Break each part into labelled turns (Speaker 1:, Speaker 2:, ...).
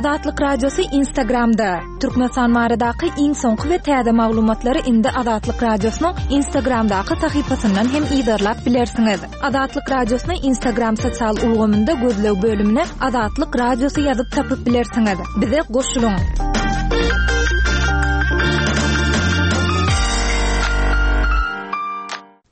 Speaker 1: Azatlyk Radiosy Instagramda! Türkmenistan baradaky iň soňky we täze maglumatlary indi Azatlyk Radiosynyň Instagramdaky sahypasyndan hem yzarlap bilersiňiz. Azatlyk Radiosyny Instagram sosial ulgamynda gözleg bölümine Azatlyk Radiosy ýazyp tapyp bilersiňiz. Bize goşulyň!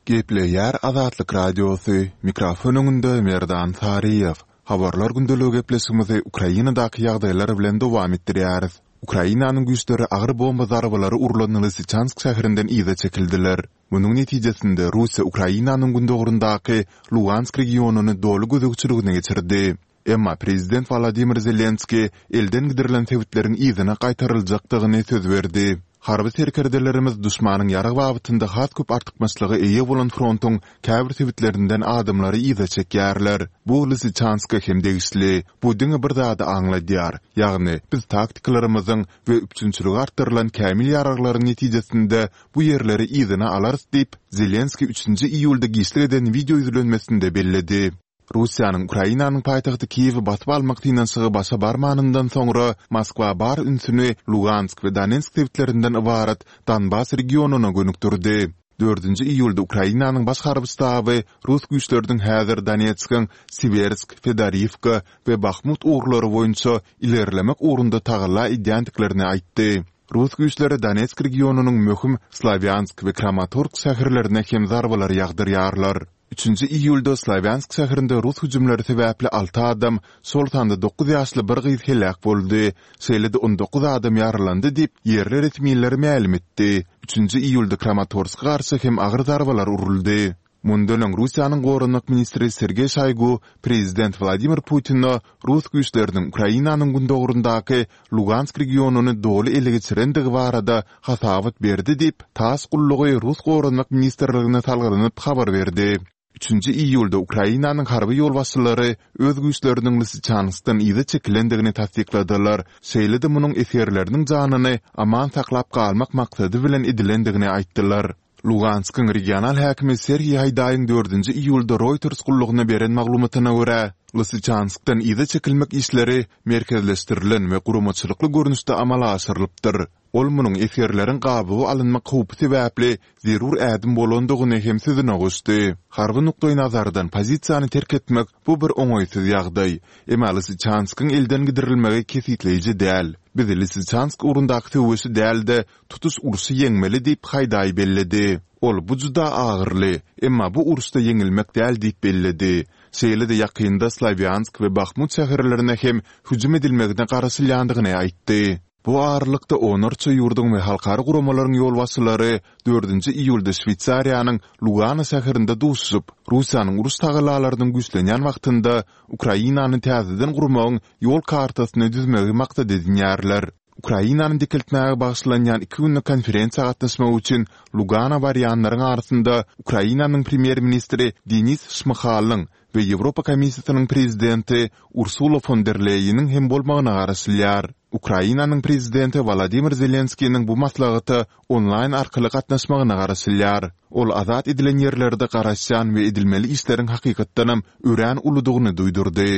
Speaker 2: Gepleýär Azatlyk Radiosy, mikrofon öňünde Merdan Saryýew. Habarlar gündeligi gepleşigimizi Ukrainadaky ýagdaýlar bilen dowam etdirýäris. Ukrainanyň güýçleri agyr bomba zarbalary urlan Lysyçansk şäherinden yza çekildiler. Munuň netijesinde Russiýa Ukrainanyň gündogaryndaky Lugansk regionyny doly gözegçiligine geçirdi. Emma prezident Wolodymyr Zelenskiý elden gidirilen sebitleriň yzyna gaýtaryljakdygyny söz berdi. Harby serkerdelerimiz duşmanyň ýarag babatynda has köp artykmaçlyga eýe bolan frontuň käbir sebitlerinden adamlary yza çekýärler. Bu Lysyçanska hem degişli. Bu diňe bir zady aňladýar, ýagny biz taktikalarymyzyň we üpjünçiligi artdyrylan kämil ýaraglaryň netijesinde bu ýerleri yzyna alarys diýip, Zelenskiý üçünji iýulda giçlik eden wideo ýüzlenmesinde belledi. Russiýanyň Ukrainanyň paýtagty Kiýewi basyp almak synanyşygy başa barmanyndan soňra, Moskwa bar ünsüni Lugansk we Donetsk sebitlerinden ybarat Donbas regionyna gönükdirdi. Dördünji iýulda Ukrainanyň Baş harby ştaby rus güýçleriniň häzir Donetskiň Siwersk, Fedoriwka we Bahmut ugurlary boýunça ilerlemek ugrunda tagalla edýändiklerini aýtdy. Rus güýçleri Donetsk regionynyň möhüm Slawýansk we Kramatorsk şäherlerine hem zarbalar ýagdyrýarlar. Üçünji iýulda Slawýansk şäherinde rus hüjümleri sebäpli alty adam, şol sanda dokuz ýaşly bir gyz heläk boldy, şeýle-de 19 adam ýaralandy diýip, ýerli resmiler mälim etdi. Üçünji iýulda Kramatorska garşy hem agyr zarbalar uruldy. Mundan öň Russiýanyň goranmak ministri Sergeý Şoýgu prezident Wladimir Putine rus güýçleriniň Ukrainanyň gündogaryndaky Lugansk regionyny doly ele geçirendigi barada hasabat berdi diýip, tass gullugy rus Goranmak ministrligine salgylanyp habar berdi. Üçünji iýulda Ukrainanyň harby ýolbaşçylary öz güýçleriniň Lysyçanskdan yza çekilendigini tassykladylar, şeýle-de munuň esgerleriniň janyny aman saklap galmak maksady bilen edilendigini aýtdylar. Luganskyň regional häkimi Serhiý Haýdaýyň dördünji iýulda Reuters gullugyna beren maglumatyna görä, Lysyçanskdan yza çekilmek işleri merkezleşdirilen we guramaçylykly görnüşde amala aşyrylypdyr. Ol munuň esgerleriň gabawa alynmak howpy sebäpli zerur ädim bolandygyny hem sözüne goşdy. Harby nukdaýnazardan pozisiýany terk etmek bu bir oňaýsyz ýagdaý. Emma Lysyçanskyň elden gidirilmegi kesgitleýji däl. Biz Lysyçansk ugrundaky söweşi däl-de, tutuş urşy ýeňmeli diýip, Haýdaý belledi. Ol bu juda agyryly, emma bu uruşda ýeňilmek däl diýip belledi. Şeýle-de ýakynda Slawýansk we Bahmut şäherlerine hem hüjüm edilmegine garaşylýandygyny aýtdy. Bu aralykda onlarça ýurduň we halkara guramalaryň ýolbaşçylary dördünji iýulda Şweýsariýanyň Lugano şäherinde duşuşyp, Russiýanyň uruş tagallalarynyň güýçlenýän wagtynda Ukrainany täzeden gurmagyň ýol kartasyny düzmegi maksat edinýärler. Ukrainany dikeltmäge bagyşlanýan iki günlük konferensiýa gatnaşmak üçin Lugano barýanlaryň arasynda Ukrainanyň premýer-ministri Denis Şmyhalyň we Ýewropa Komissiýasynyň prezidenti Ursula fon der Leýeniň hem bolmagyna garaşylýar. Ukrainanyň prezidenti Wolodymyr Zelenskiniň bu maslahata onlaýn arkaly gatnaşmagyna garaşylýar. Ol azat edilen ýerlerde garaşýan we edilmeli işleriň hakykatdanam örän uludygyny duýdurdy.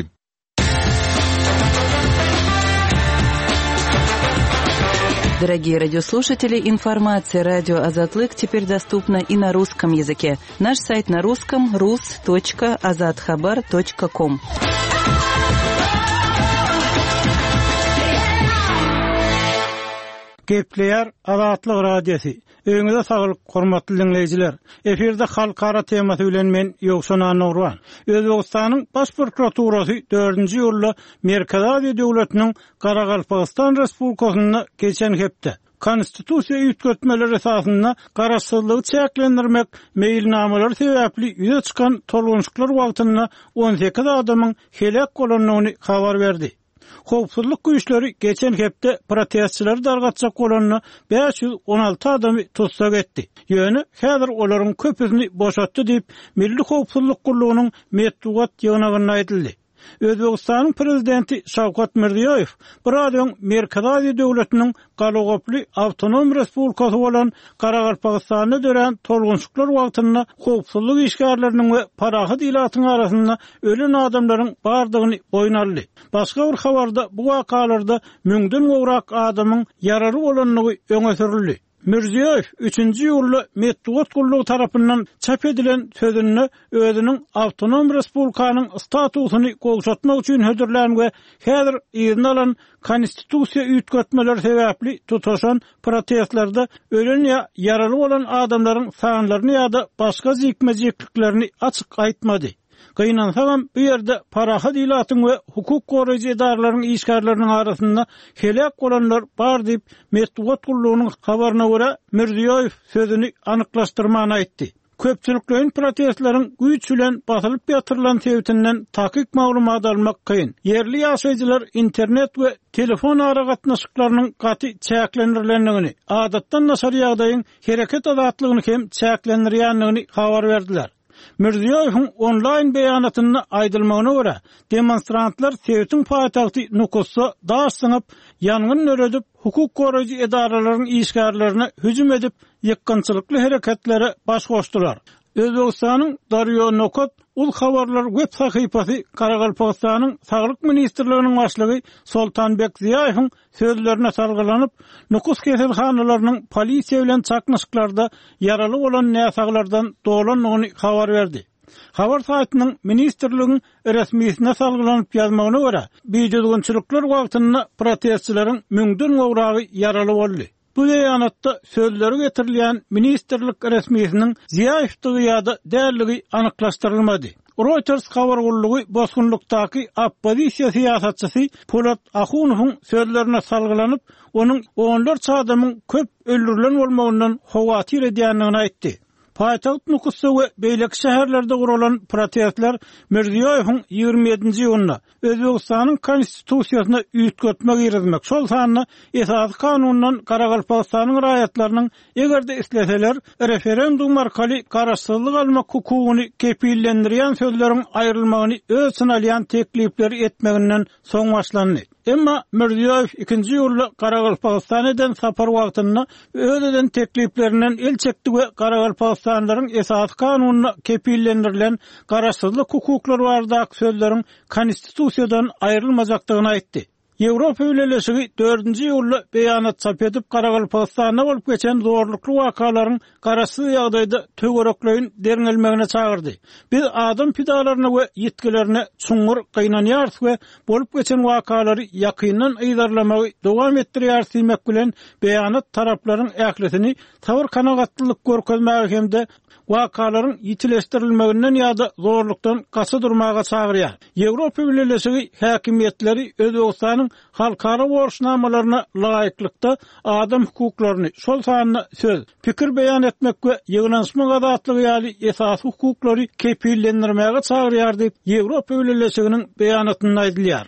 Speaker 3: Дорогие радиослушатели, информация радио Азатлык теперь доступна и на русском языке. Наш сайт на русском rus.azathabar.com.
Speaker 4: Gepleýär Azatlyk Radiosy. Öýüňize saglyk, hormatly diňleýjiler! Efirde Halkara temasy bilen men, Ýowşan Annagurban. Özbegistanyň Baş prokuraturasy dördünji iýulda Merkezi Aziýa döwletiniň Garagalpagystan Respublikasynda geçen hepde, Konstitusiýa üýtgetmeleri esasynda garaşsyzlygy çäklendirmek meýilnamalary sebäpli ýüze çykan tolgunşyklar wagtynda 18 adamyň heläk bolandygyny habar berdi. Howpsuzlyk güýçleri geçen hepde protestçileri dargatjak bolanda 516 adamy tussag etdi. Ýöne häzir olaryň köpüsini boşatdy diýip, Milli howpsuzlyk gullugynyň metbugat ýygnagynda aýdyldy. Özbegistanyň prezidenti Şawkat Mirziýoýew biraz öň Merkezi Aziýa döwletiniň galagoply awtonom respublikasy bolan Garagalpagystanda dörän tolgunşyklar wagtynda howpsuzlyk işgärleriniň we parahat ilatyň arasynda ölen adamlaryň bardygyny boýun aldy. Başga bir habarda bu wakalarda müňden gowrak adamyň ýaraly bolandygy öňe sürüldi. Mirziýoýew üçünji iýulda metbugat gullugy tarapyndan çap edilen sözünde özüniň awtonom respublikanyň statusyny gowşatmak üçin hödürlän we häzir yzyna alan konstitusiýa üýtgetmeleri sebäpli tutaşan protestlerde ölen ýa ýaraly bolan adamlaryň sanlaryny ýa-da başga jikme-jikliklerini açyk aýtmady. Gynansagam, bu ýerde parahat ilatyň we hukuk goraýjy edaralaryň işgärleriniň arasynda heläk bolanlar bar diýip, metbugat gullugynyň habaryna görä, Mirziýoýew sözüni anyklaşdyrman aýtdy. Köpçülikleýin protestleriň güýç bilen basylyp ýatyrylan sebitinden takyk maglumat almak kyn. Ýerli ýaşaýjylar internet we telefon aragatnaşyklarynyň gaty çäklendirilendigini, adatdan daşary ýagdaýyň hereket azatlygyny hem çäklendirýändigini habar berdiler. Mirziýoýewiň onlaýn beýanatynda aýdylmagyna görä, demonstrantlar sebitiň paýtagty Nukusda daş zyňyp, ýangyn döredip, hukuk goraýjy edaralaryň işgärlerine hüjüm edip, ýykgynçylykly hereketlere baş goşdular. Özbegistanyň Daryo Nokat uz habarlar web sahypasy Garagalpagystanyň Saglyk ministrliginiň başlygy Soltanbek Ziýaýewiň sözlerine salgylanyp, Nukus keselhanalarynyň polisiýa bilen çaknyşyklarda ýaraly bolan näsaglardan dolandygyny habar berdi. Habar saýtynyň ministrligiň resmisine salgylanyp ýazmagyna görä, bidüzgünçilikler wagtynda protestçileriň müňden gowragy ýaraly boldy. Bu beýanatda sözleri getirilýän ministrlik resmisiniň Ziýaýewdigi ýa-da däldigi anyklaşdyrylmady. Reuters habar gullugy bosgunlykdaky oppozisiýa syýasatçysy Polat Ahunowyň sözlerine salgylanyp, onuň onlarça adamyň köp öldürilen bolmagyndan howatyr edýändigini aýtdy. Paýtagt Nukusda we beýleki şäherlerde guralan protestler Mirziýoýewiň 27-nji iýunda Özbegistanyň Konstitusiýasyna üýtgetme girizmek, şol sanda Esasy Kanundan Garagalpagystanyň raýatlarynyň eger-de isleseler, referendum arkaly garaşsyzlyk almak hukugyny kepillendirýän sözleriň aýrylmagyny öz içine alýan teklipleri etmeginden soň başlandy. Emma Mirziýoýew ikinji iýulda Garagalpagystana eden sapary wagtynda öz eden tekliplerinden el çekdi we garagalpagystanlylaryň Esasy Kanunda kepillendirilen garaşsyzlyk hukuklary baradaky sözleriň Konstitusiýadan aýrylmajakdygyny aýtdy. Ýewropa Bileleşigi dördünji iýulda beýanat çap edip, Garagalpagystanda bolup geçen zorlukly wakalaryň garaşsyz ýagdaýda töwerekleýin derňelmegine çagyrdy. Biz adam pidalaryna we ýitgilerine çuňňur gynanýarys we bolup geçen wakalary ýakyndan yzarlamagy dowam etdirýäris diýmek bilen, beýanat taraplaryň ählisini sabyr-kanagatlylyk görkezmäge hem-de wakalaryň ýitileşdirilmeginden ýa-da zorlukdan gaça durmaga çagyrýar. Ýewropa Bileleşigi häkimiýetleri Özbegistanyň halkara borçnamalaryna laýyklykda adam hukuklaryny, şol sanda söz, pikir beýan etmek we ýygnanyşmak azatlygy ýaly esasy hukuklary kepillendirmäge çagyrýar diýip, Ýewropa Bileleşiginiň beýanatynda aýdylýar.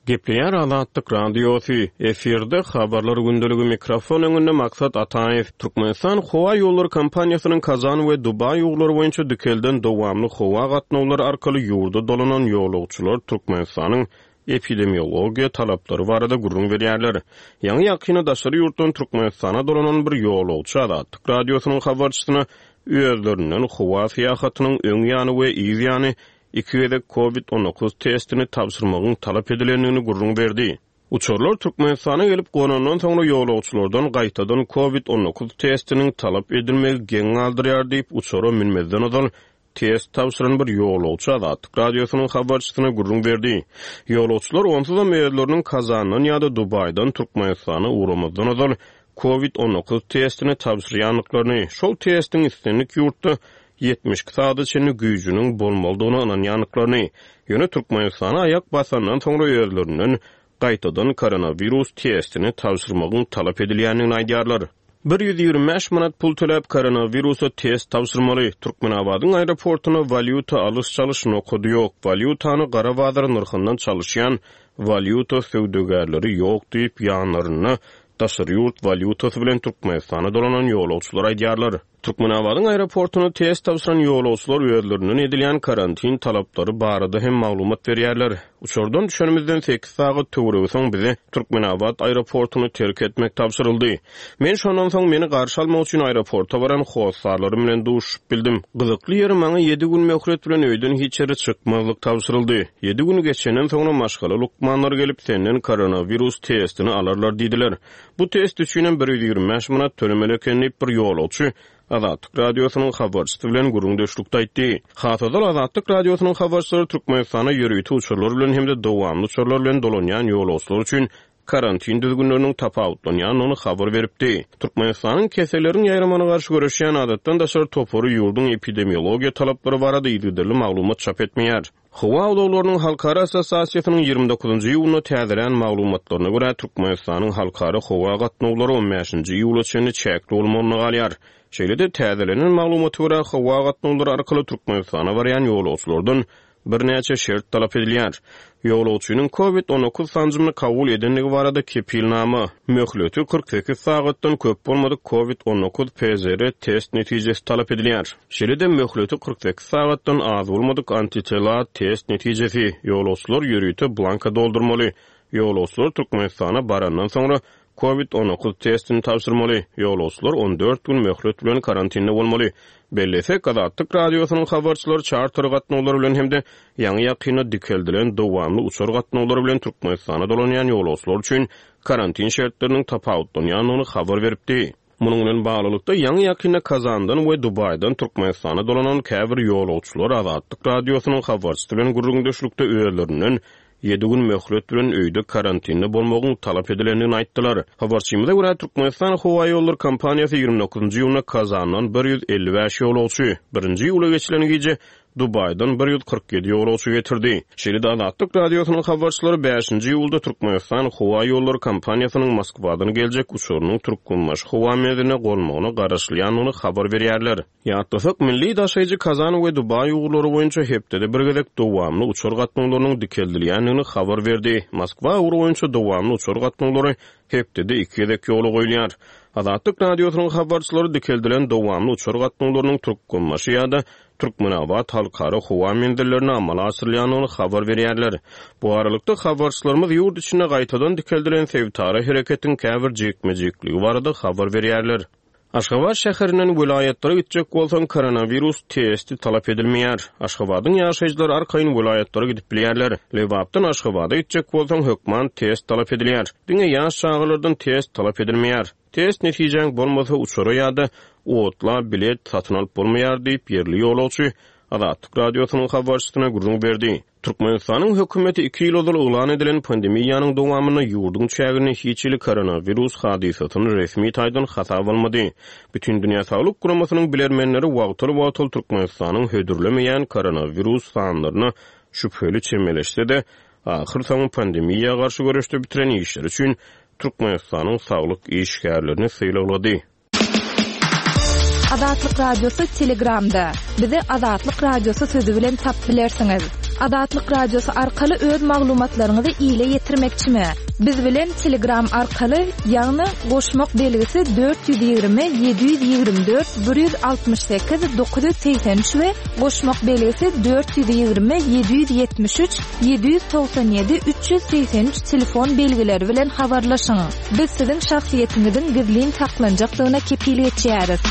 Speaker 5: Gepleýär Azatlyk Radiosy, efirde Habarlar gündeligi mikrofon öňünde Maksat Ataýew. Türkmenistan howa ýollary kompaniýasynyň Kazan we Dubaý ugurlary boýunça dikelden dowamly howa gatnawlary arkaly ýurda dolanan ýolagçylar Türkmenistanyň epidemiologiýa talaplary barada gürrüň berýärler. Ýaňy-ýakynda daşary ýurtdan Türkmenistana dolanan bir ýolagçy Azatlyk Radiosynyň habarçysyna özlerinden howa syýahatynyň öň ýany we yz ýany iki gezek Covid 19 testini tabşyrmagyň talap edilendigini gürrüň berdi. Uçarlar Türkmenistana gelip gonandan soňra ýolagçylardan gaýtadan Covid 19 testiniň talap edilmegi geň galdyrýar diýip, uçara münmezden ozal test tabşyran bir ýolagçy Azatlyk Radiosynyň habarçysyna gürrüň berdi. Ýolagçylar onsuzam özleriniň Kazandan ýa-da Dubaýdan Türkmenistana ugramazdan ozal Covid 19 testini tabşyrýandyklaryny, şol testiň islendik ýurtda 72 sagada çenli güýjüniň bolmalydygyna ynanýandyklaryny, ýöne Türkmenistana aýak basandan soňra özlerinden gaýtadan koronawirus testini tabşyrmagyň talap edilýändigini aýdýarlar. 125 manat pul töläp koronawirusa test tabşyrmaly. Türkmenabadyň aeroportunda walýuta alyş-çalyş nokady ýok. Walýutany gara bazar nyrhyndan çalyşýan walýuta söwdagärleri ýok diýip, ýanlarynda daşary ýurt walýutasy bilen Türkmenistana dolanan ýolagçylar aýdýarlar. Türkmenabadyň aeroportunda test tabşyran ýolagçylar özlerinden edilýän karantin talaplary barada hem maglumat berýärler. Uçardan düşenimizden sekiz sagat töweregi soň bize Türkmenabat aeroportuny terk etmek tabşyryldy. Men şondan soň meni garşy almak üçin aeroporta baran hossarlarym bilen duşuşyp bildim. Gyzykly ýeri maňa ýedi gün möhlet bilen öýden hiç ýere çykmazlyk tabşyryldy. Ýedi gün geçenden soňra maşgala lukmanlary gelip senden koronawirus testini alarlar diýdiler. Bu test üçinem 125 manat tölemeli eken diýip bir ýolagçy Azatlyk Radiosynyň habarçysy bilen gürrüňdeşlikde aýtdy. Has ozal Azatlyk Radiosynyň habarçylary Türkmenistana ýörite uçarlar bilen hem-de dowamly uçarlar bilen dolanýan ýolagçylar üçin karantin düzgünleriniň tapawutlanýandygyny habar beripdi. Türkmenistanyň keselleriň ýaýramagyna garşy göreşýän adatdan daşary topary ýurduň epidemiologiýa talaplary barada yzygiderli maglumat çap etmeýär. Howa ulaglarynyň halkara assosiasiýasynyň 29-njy iýunda täzelän maglumatlaryna görä, Türkmenistanyň halkara howa gatnawlary on bäşinji iýula çenli çäkli bolmagyna galýar. Şeýle-de, täzelenen maglumata görä, howa gatnawlary arkaly Türkmenistana barýan ýolagçylardan birnäçe şert talap edilýär. Ýolagçynyň Covid 19 sanjymyny kabul edendigi barada kepilnama, möhleti 48 sagatdan köp bolmadyk Covid 19 PCR test netijesi talap edilýär. Şeýle-de möhleti 48 sagatdan az bolmadyk antitela test netijesi, ýolagçylar ýörite blanka doldurmaly. Ýolagçylar Türkmenistana barandan soňra Covid 19 testini tabşyrmaly, ýolagçylar 14 gün möhlet bilen karantinde bolmaly. Bellesek, Azatlyk Radiosynyň habarçylary çarter gatnawlary bilen hem-de ýaňy-ýakynda dikeldilen dowamly uçar gatnawlary bilen Türkmenistana dolanýan ýolagçylar üçin karantin şertleriniň tapawutlanýandygyny habar beripdi. Munuň bilen baglylykda, ýaňy-ýakynda Kazandan we Dubaýdan Türkmenistana dolanan käbir ýolagçylar Azatlyk Radiosynyň habarçysy bilen gürrüňdeşlikde özlerinden ýedi gün möhlet bilen öýde karantinde bolmagyň talap edilendigini aýtdylar. Habarçymyza görä, Türkmenistan howaýollary kompaniýasy 29-njy iýunda Kazandan 155 ýolagçy, birinji iýula geçilen gije Dubaýdan 147 ýolagçy getirdi. Şeýle-de Azatlyk Radiosynyň habarçylary bäşinji iýulda Türkmenistan howaýollary kompaniýasynyň Moskwadan geljek uçarynyň Türkmenbaşy howa menziline gonmagyna garaşylýandygyny habar berýärler. Ýatlasak, milli daşaýjy Kazan we Dubaý ugurlary boýunça hepdede bir gezek dowamly uçar gatnawlarynyň dikeldilýändigini habar berdi. Moskwa ugry boýunça dowamly uçar gatnawlary hepdede iki gezek ýola goýulýar. Azatlyk Radiosynyň habarçylary dikeldilen dowamly uçar gatnawlarynyň Türkmenbaşy ýa-da Türkmenabat halkara howa menzillerine amala aşyrylýandygyny habar berýärler. Bu aralykda, habarçylarymyz ýurt içinde gaýtadan dikeldilen sebitara hereketiň käbir jikme-jikligi barada habar berýärler. Aşgabat şäherinden welaýatlara gitjek bolsaň, koronawirus testi talap edilmeýär. Aşgabadyň ýaşaýjylary arkaýyn welaýatlara gidip bilýärler. Lebapdan Aşgabada gitjek bolsaň, hökman test talap edilýär. Diňe ýaş çagalardan test talap edilmeýär. Test netijäň bolmasa, uçara ýa-da otla bilet satyn alyp bolmaýar diýip, ýerli ýolagçy Azatlyk Radiosynyň habarçysyna gürrüň berdi. Türkmenistanyň hökümeti iki ýyl ozal yglan edilen pandemiýanyň dowamynda ýurduň çäginde hiç hili koronawirus hadysasyny resmi taýdan hasaba almady. Bütindünýä Saglyk Guramasynyň bilermenleri wagtal-wagtal Türkmenistanyň hödürlemeýän koronawirus sanlaryna şübheli çemeleşse-de, ahyrsoňy pandemiýa garşy göreşde bitiren işleri üçin Türkmenistanyň saglyk işgärlerini sylaglady.
Speaker 1: Azatlyk Radiosy Telegramda. Bizi Azatlyk Radiosy sözi bilen tapyp bilersiňiz. Azatlyk Radiosy arkaly öz maglumatlaryňyzy ile ýetirmekçimi? Biz bilen Telegram arkaly, ýagny goşmak belgisi 420 724 168 983 we goşmak belgisi 420 773 797 383 telefon belgileri bilen habarlaşyň. Biz siziň şahsyýetiňiziň gizlin saklanjakdygyna kepil geçýäris.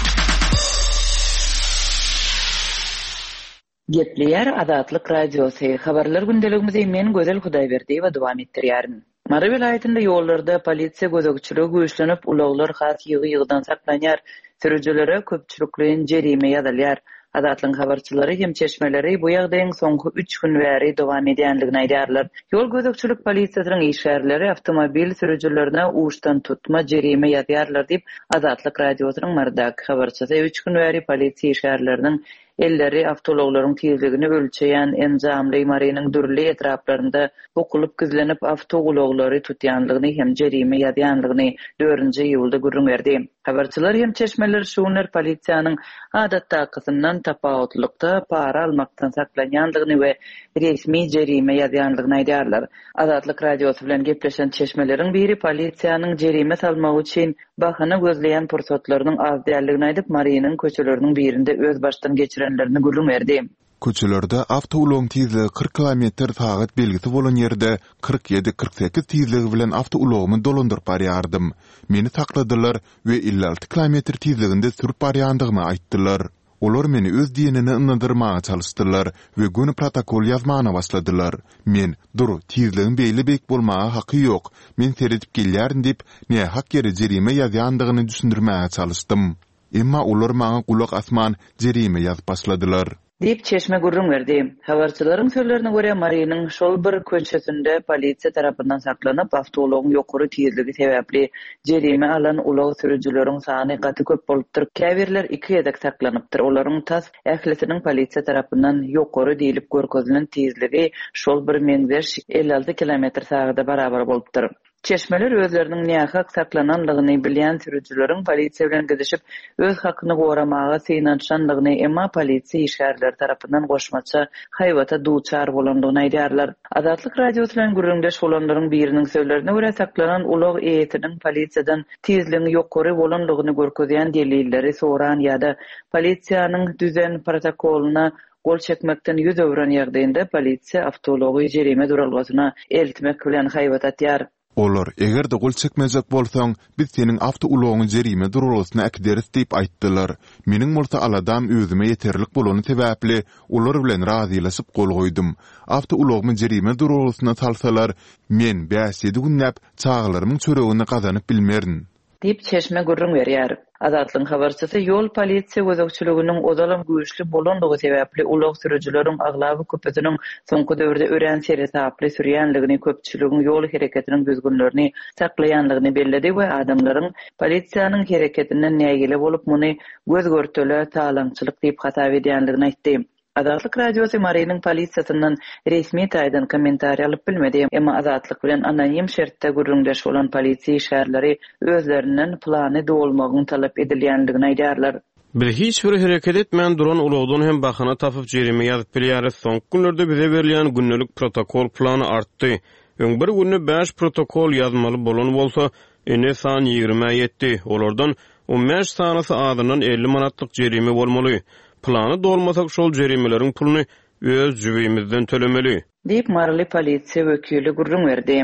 Speaker 3: Gepleýär Azatlyk Radiosy, Habarlar gündeligimizi men Gözel Hudaýberdiýewa dowam etdirýärin. Mary welaýatynda ýollarda polisiýa gözegçiligi güýçlenip, ulaglar has ýygy-ýygydan saklanýar, sürüjilere köpçülikleýin jerime ýazylýar. Azatlygyň habarçylary hem çeşmeleri bu ýagdaýyň soňky üç gün bäri dowam edýändigini aýdýarlar. Ýol gözegçilik polisiýasynyň işgärleri awtomobil sürüjilerine uçdantutma jerime ýazýarlar diýip, Azatlyk Radiosynyň Marydaky habarçysy üç gün bäri polisiýa işgärleriniň. elleri awtoulaglaryň tizligini ölçeýän enjamly Marynyň dürli etraplarynda bukulyp gizlenip awtoulaglary tutýanlygyny hem jerime ýazýanlygyny dördünji iýulda gürrüň berdi. Habarçylar hem çeşmeler şu günler polisiýanyň adatdakysyndan tapawutlylykda para almakdan saklanýandygyny we resmi jerime ýazýandygyny aýdýarlar. Azatlyk Radiosy bilen gepleşen çeşmeleriň biri polisiýanyň jerime salmagy üçin bahana gözleýän pursatlarynyň az däldigini aýdyp, Marynyň köçeleriniň birinde öz başdan geçirenlerini gürrüň berdi.
Speaker 2: Köçelerde awtoulagyň tizligi 40 kilometr sagat belgisi bolan ýerde 47, 48 tizligi bilen awtoulagymy dolandyryp barýardym. Meni sakladylar we 56 kilometr tizliginde sürüp barýandygymy aýtdylar. Olar meni öz diýenine ynandyrmaga çalyşdylar we göni protokol ýazmana başladylar. Men, Dur, tizligiň beýle beýik bolmaga haky ýok, men seredip gelýärin diýip, nähak ýere jerime ýazýandygyny düşündirmäge çalyşdym. Emma olar maňa gulak asman, jerime ýazyp başladylar.
Speaker 3: Diýip, çeşme gürrüň berdi. Habarçylaryň sözlerine görä, Marynyň şol bir köçesinde polisiýa tarapyndan saklanyp, awtoulagyň ýokary tizligi sebäpli jerime alan ulag sürüjileriň sany gaty köp bolupdyr, käbirler iki gezek saklanypdyr, olaryň tas ählisiniň polisiýa tarapyndan ýokary diýlip görkezilen tizligi şol bir meňzeş 56 kilometr sagada barabar bolupdyr. Çeşmeler özleriniň nähak saklananlygyny bilýän sürüjileriň polisiýa bilen gidişip, öz hakyny goramaga synanyşanlygyny, emma polisiýa işgärleri tarapyndan goşmaça haýbata duçar bolandygyny aýdýarlar. Azatlyk Radiosy bilen gürrüňdeş bolanlaryň biriniň sözlerine görä, saklanan ulag eýesiniň polisiýadan tizligiň ýokary bolanlygyny görkezýän delilleri soran ýa-da polisiýanyň düzen protokolyna gol çekmekden ýüz öwren ýagdaýynda polisiýa awtoulagy jerime duralgasyna eltmek bilen haýbat atýar.
Speaker 2: Olar, Eger-de gol çekmejek bolsaň, biz seniň awtoulagyňy jerime duralgasyna äkideris diýip aýtdylar. Meniň bolsa aladam özüme ýeterlik bolany sebäpli, olar bilen razylaşyp gol goýdum. Awtoulagymy jerime duralgasyna salsalar, men bäş-ýedi günläp çagalarymyň çöregini gazanyp bilmerin.
Speaker 3: Diýip, çeşme gürrüň berýär. Azatlygyň habarçysy ýol polisiýa gözegçiliginiň ozalam güýçli bolandygy sebäpli ulag sürüjileriň aglaba köpüsiniň soňky döwürde örän seresaply sürýänligini, köpçüligiň ýol hereketiniň düzgünlerini saklaýanlygyny belledi we adamlaryň polisiýanyň hereketinden nägile bolup, muny göz-görtele talaňçylyk diýip hasap edýänligini aýtdy. Azatlyk Radiosy Marynyň polisiýasyndan resmi taýdan kommentariý alyp bilmedi. Emma Azatlyk bilen anonim şertde gürrüňdeş bolan polisiýa işgärleri özlerinden plany dolmagyň talap edilýändigini aýdýarlar.
Speaker 5: Biz hiç bir hereket etmän duran ulagdan hem bahana tapyp jerime ýazyp bilýäris. Soňky günlerde bize berilýän gündelik protokol plany artdy. Öň bir günde bäş protokol ýazmaly bolan bolsa, indi san ýigrimä ýetdi. Olardan on bäş sanysy azyndan 50 manatlyk jerime bolmaly. Plany dolmasak şol jerimeleriň puluny öz jübimizden tölemeli.
Speaker 3: Diýip, maryly polisiýa wekili gürrüň berdi.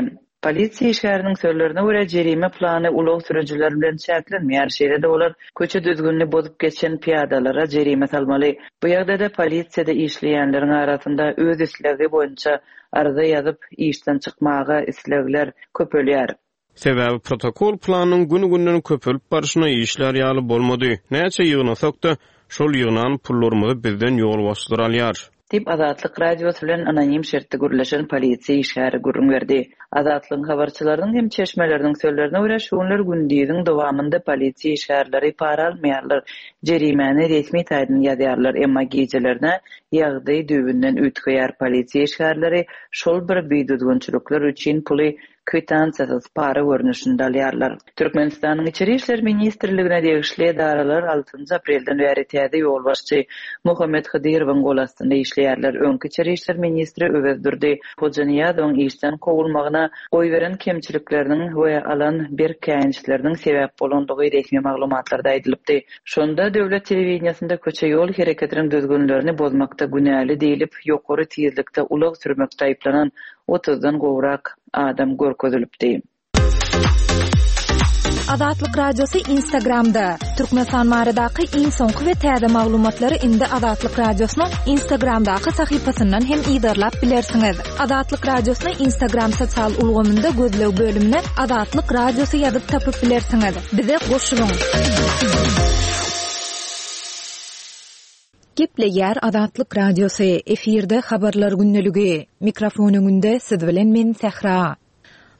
Speaker 3: Polisiýa işgäriniň sözlerine görä, jerime plany ulag sürüjileri bilen çäklenmeýär, şeýle-de olar köçe düzgünini bozup geçen pyýadalara jerime salmaly. Bu ýagdaýda polisiýada işleýänleriň arasynda öz islegi boýunça arza ýazyp, işden çykmaga islegler köpelýär.
Speaker 5: Sebäbi protokol planynyň gün-günden köpelip barşyna işlär ýaly bolmady. Näçe ýygnasak-da, şol ýygnan pullarymyzy bizden ýolbaşçylar alýar.
Speaker 3: Diýip, Azatlyk Radiosy bilen anonim şertde gürleşen polisiýa işgäri gürrüň berdi. Azatlygyň habarçylarynyň hem çeşmeleriniň sözlerine görä, şu günler gündiziň dowamynda polisiýa işgärleri para almaýarlar, jerimäni resmi taýdan ýazýarlar, emma gijelerine ýagdaý düýbünden üýtgeýär, polisiýa işgärleri şol bir bidüzgünçilikler üçin puly kwitansiýasyz para görnüşinde alýarlar. Türkmenistanyň Içeri işler ministrligine degişli edaralar altynjy aprelden bäri täze ýolbaşçy Muhammet Hydyrowyň gol astynda işleýärler. Öňki içeri işler ministri Öwezdurdy Hojanyýazowyň işden kowulmagyna goýberen kemçilikleriniň we alan berk käýinçleriniň sebäp bolandygy resmi maglumatlarda aýdylypdy. Şonda döwlet telewideniýesinde köçe-ýol hereketiniň düzgünlerini bozmakda günäli diýlip, ýokary tizlikde ulag sürmekde aýyplanan otuzdan gowrak adam görkezilipdi.
Speaker 1: Azatlyk Radiosy Instagramda, Türkmenistan baradaky iň soňky we täze maglumatlary indi Azatlyk Radiosynyň Instagramdaky sahypasyndan hem yzarlap bilersiňiz. Azatlyk Radiosyny Instagram sosial ulgamynda gözleg bölümine Azatlyk Radiosy ýazyp tapyp bilersiňiz. Bize goşulyň! Gepleýär Azatlyk Radiosy, efirde Habarlar gündeligi. Mikrofon öňünde siz bilen men Sähra.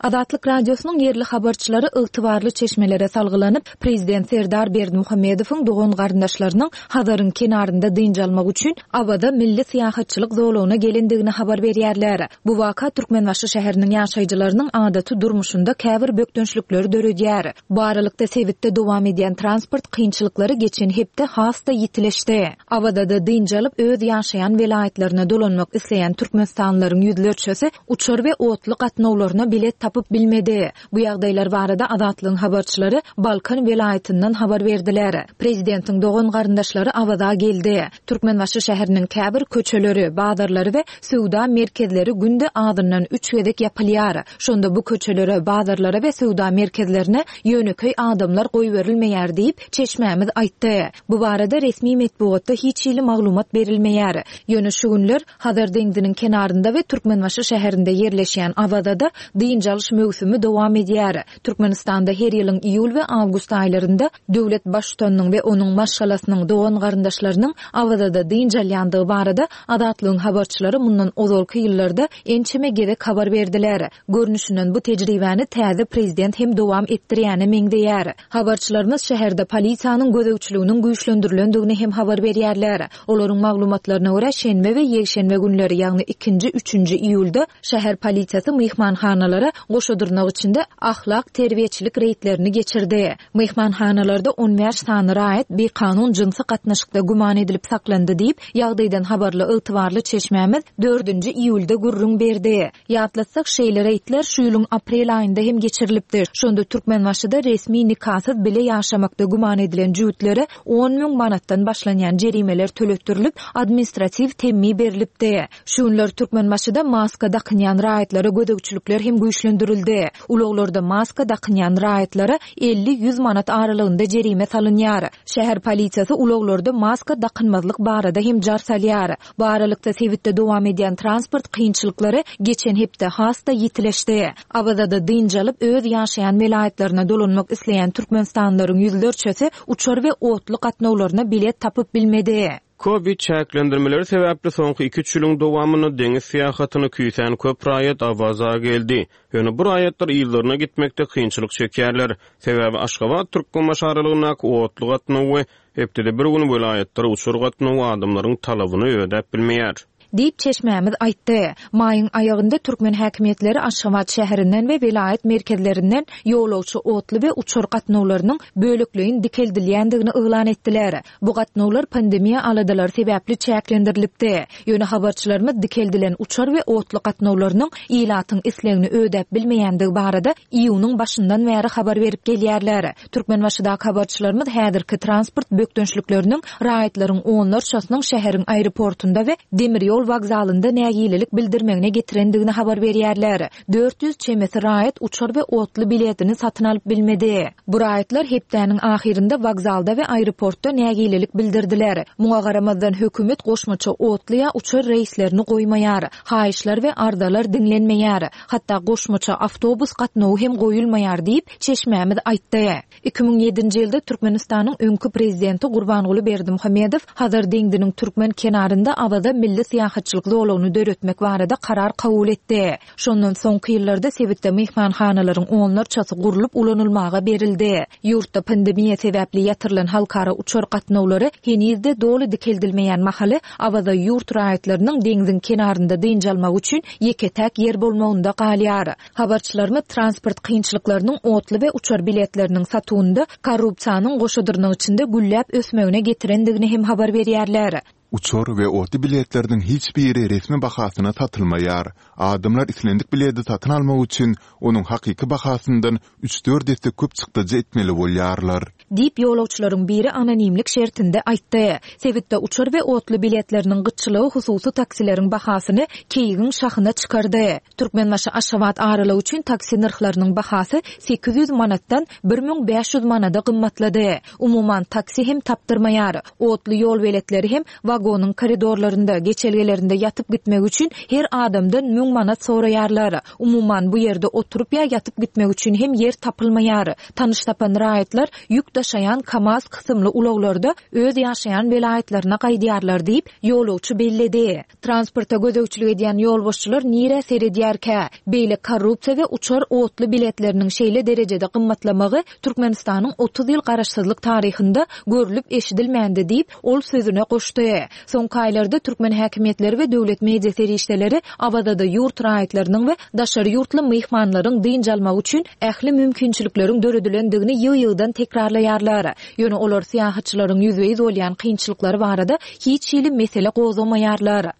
Speaker 1: Azatlyk Radiosynyň ýerli habarçylary ygtybarly çeşmelere salgylanyp, prezident Serdar Berdimuhamedowyň dogan-garyndaşlarynyň Hazaryň kenarynda dynç almak üçin Awaza milli syýahatçylyk zolagyna gelendigini habar berýärler. Bu waka Türkmenbaşy şäheriniň ýaşaýjylarynyň adaty durmuşynda käbir bökdençlikleri döredýär. Bu aralykda, sebitde dowam edýän transport kynçylyklary geçen hepde has-da ýitileşdi. Awazada dynç alyp, öz ýaşaýan welaýatlaryna dolanmak isleýän türkmenistanlylaryň ýüzlerçesi uçar we otly gatnawlaryna bilet tapyp bilmedi. Bu ýagdaýlar barada Azatlygyň habarçylary Balkan welaýatyndan habar berdiler. Prezidentiň dogan-garyndaşlary Awaza geldi. Türkmenbaşy şäheriniň käbir köçeleri, bazarlary we söwda merkezleri günde azyndan üç gezek ýapylýar. Şonda bu köçelere, bazarlara we söwda merkezlerine ýönekeý adamlar goýberilmeýär diýip, çeşmämiz aýtdy. Bu barada resmi metbugatda hiç hili maglumat berilmeýär. Ýöne şu günler Hazar deňziniň kenarynda we Türkmenbaşy şäherinde ýerleşýän Awazada dynç alyş möwsümi dowam edýär. Türkmenistanda her ýylyň iýul we awgust aýlarynda döwlet Baştutanynyň we onuň maşgalasynyň, dogan-garyndaşlarynyň Awazada dynç alýandygy barada Azatlygyň habarçylary mundan ozalky ýyllarda ençeme gezek habar berdiler. Görnüşinden bu tejribäni täze prezident hem dowam etdirýäne meňzeýär. Habarçylarymyz şäherde polisiýanyň gözegçiliginiň güýçlendirilendigini hem habar berýärler. Olaryň maglumatlaryna görä, şenbe we ýekşenbe günleri, ýagny ikinji, üçünji iýulda şäher polisiýasy myhmanhanalara goşa dyrnak içinde ahlak-terbiýeçilik reýdlerini geçirdi. Myhmanhanalarda 15 sany raýat bikanun jynsy gatnaşykda güman edilip saklandy diýip, ýagdaýdan habarly ygtybarly çeşmämiz dördünji iýulda gürrüň berdi. Ýatlatsak, şeýle reýdler şu ýylyň aprel aýynda hem geçirilipdi. Şonda Türkmenbaşyda resmi nikasyz bile ýaşamakda güman edilen jübütlere 10 müň manatdan başlanýan jerimeler töletdirilip, administratiw temmi berlipdi. Şu günler Türkmenbaşyda maska dakynýan raýatlara gözegçilikler hem güýçlendirildi. Ulaglarda maska dakynýan raýatlara 50-100 manat aralygynda jerime salynýar. Şäher polisiýasy ulaglarda maska dakynmazlyk barada hem jar salýar. Bu aralykda, sebitde dowam edýän transport kynçylyklary geçen hepde has-da ýitileşdi. Awazada dynç alyp, öz ýaşaýan welaýatlaryna dolanmak isleýän türkmenistanlylaryň ýüzlerçesi uçar we otly gatnawlaryna bilet tapyp bilmedi.
Speaker 5: Covid çäklendirmeleri sebäpli soňky iki-üç ýylyň dowamynda deňiz syýahatyny küýsän köp raýat Awaza geldi. Ýöne bu raýatlar yzlaryna gitmekde kynçylyk çekýärler. Sebäbi Aşgabat-Türkmenbaşy aralygyndaky otly gatnaw we Hepdede bir gün welaýatlara uçar gatnawy adamlaryň talabyny ödäp bilmeýär.
Speaker 1: Diýip, çeşmämiz aýtdy. Maýyň aýagynda türkmen häkimiýetleri Aşgabat şäherinden we welaýat merkezlerinden ýolagçy otly we uçar gatnawlarynyň bölekleýin dikeldilýändigini yglan etdiler. Bu gatnawlar pandemiýa aladalary sebäpli çäklendirilipdi. Ýöne habarçylarymyz dikeldilen uçar we otly gatnawlarynyň ilatyň islegini ödäp bilmeýändigi barada iýunyň başyndan bäri habar berip gelýärler. Türkmenbaşydaky habarçylarymyz häzirki transport bökdençlikleriniň raýatlaryň onlarçasynyň şäheriň aeroportunda we demir ýol wokzalynda nägilelik bildirmegine getirendigini habar berýärler. 400 çemesi raýat uçar we otly biletini satyn alyp bilmedi. Bu raýatlar hepdäniň ahyrynda wokzalda we aeroportda nägilelik bildirdiler. Muňa garamazdan, hökümet goşmaça otly ýa uçar reýslerini goýmaýar. Haýyşlar we arzalar diňlenmeýär. Hatda goşmaça awtobus gatnawy hem goýulmaýar diýip, çeşmämiz aýtdy. 2007-nji ýylda Türkmenistanyň öňki prezidenti Gurbanguly Berdimuhamedow Hazar deňziniň türkmen kenarynda Awaza milli syýahatçylyk zolagyny döretmek barada karar kabul etdi. Şondan soňky ýyllarda sebitde myhmanhanalaryň onlarçasy gurlup ulanylmaga berildi. Ýurtda pandemiýa sebäpli ýatyrylan halkara uçar gatnawlary heniz-de doly dikeldilmeýän mahaly Awaza ýurt raýatlarynyň deňziň kenarynda dynç almagy üçin ýeke-täk ýer bolmagynda galýar. Habarçylarymyz transport kynçylyklarynyň otly we uçar biletleriniň satuwynda korrupsiýanyň goşa dyrnak içinde gülläp ösmegine getirendigini hem habar berýärler.
Speaker 2: Uçar we otly biletleriniň hiç biri resmi bahasyna satylmaýar. Adamlar islendik biledi satyn almak üçin onuň hakyky bahasyndan üç-dört esse köp çykdajy etmeli bolýarlar.
Speaker 1: Diýip, ýolagçylaryň biri anonimlik şertinde aýtdy. Sebitde uçar we otly biletleriniň gytçylygy hususy taksileriň bahasyny keýigiň şahyna çykardy. Türkmenbaşy-Aşgabat aralygy üçin taksi nyrhlarynyň bahasy 800 manatdan 1500 manada gymmatlady. Umuman, taksi hem tapdyrmaýar. Otly ýolbeletleri hem wagonyň koridorlarynda, geçelgelerinde ýatyp gitmek üçin her adamdan müň manat soraýarlar. Umuman, bu ýerde oturyp ýa ýatyp gitmek üçin hem ýer tapylmaýar. Tanyş tapan raýatlar ýük daşaýjy. daşaýan KAMAZ kysymly ulaglarda öz ýaşaýan welaýatlaryna gaýdýarlar diýip, ýolagçy belledi. Transporta gözegçilik edýän ýolbaşçylar nirä seredýärkä? Beýle korrupsiýa we uçar otly biletleriniň şeýle derejede gymmatlamagy Türkmenistanyň 30 ýyl garaşsyzlyk taryhynda görlüp-eşidilmändi diýip, ol sözüne goşdy. Soňky aýlarda türkmen häkimiýetleri we döwlet media serişdeleri Awazada ýurt raýatlarynyň we daşary ýurtly myhmanlaryň dynç almagy üçin ähli mümkinçilikleriň döredilendigini ýygy-ýygydan tekrarlaýarlar. Ýöne olar syýahatçylaryň ýüzbe-ýüz bolýan kynçylyklary barada hiç hili mesele gozgamaýarlar.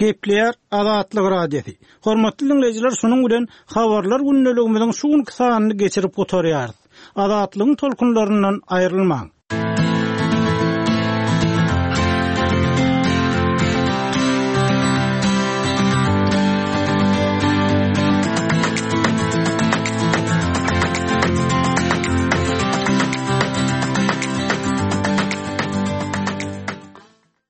Speaker 4: Gepleýär Azatlyk Radiosy. Hormatly diňleýjiler şunuň bilen Habarlar gündeligimiziň şu günki sanyny geçirip gutarýarys. Azatlygyň tolkunlaryndan aýrylmaň.